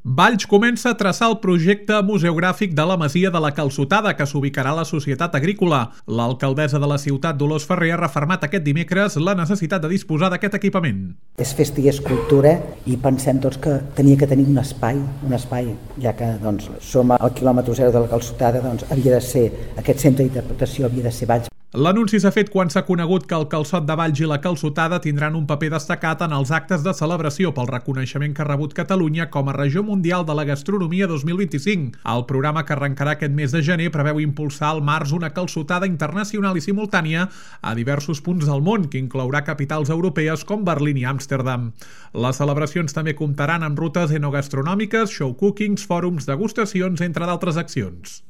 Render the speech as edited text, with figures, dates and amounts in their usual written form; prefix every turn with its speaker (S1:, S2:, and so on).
S1: Valls comença a traçar el projecte museogràfic de la Masia de la Calçotada, que s'ubicarà a la Societat Agrícola. L'alcaldessa de la ciutat, Dolors Ferrer, ha refermat aquest dimecres la necessitat de disposar d'aquest equipament.
S2: És festa i és cultura i pensem tots que tenia que tenir un espai, ja que som al quilòmetre zero de la Calçotada, havia de ser, aquest centre d'interpretació havia de ser Valls.
S1: L'anunci s'ha fet quan s'ha conegut que el Calçot de Valls i la Calçotada tindran un paper destacat en els actes de celebració pel reconeixement que ha rebut Catalunya com a Regió Mundial de la Gastronomia 2025. El programa, que arrencarà aquest mes de gener, preveu impulsar al març una calçotada internacional i simultània a diversos punts del món, que inclourà capitals europees com Berlín i Amsterdam. Les celebracions també comptaran amb rutes enogastronòmiques, show cookings, fòrums, degustacions, entre d'altres accions.